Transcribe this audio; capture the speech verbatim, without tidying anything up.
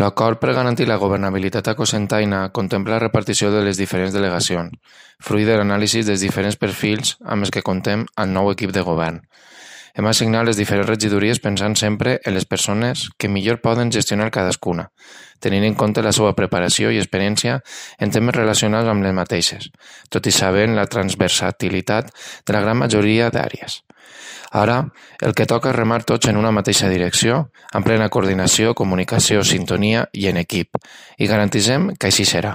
L'acord per garantir la governabilitat a Cocentaina contempla la repartició de les diferents delegacions, fruit de l'anàlisi dels diferents perfils amb els que contem al nou equip de govern. Hem assignat les diferents regidories pensant sempre en les persones que millor poden gestionar cadascuna, tenint en compte la seva preparació i experiència en temes relacionats amb les mateixes, tot i sabent la transversatilitat de la gran majoria d'àrees. Ara, el que toca és remar tots en una mateixa direcció, amb plena coordinació, comunicació, sintonia i en equip, i garantirem que així serà.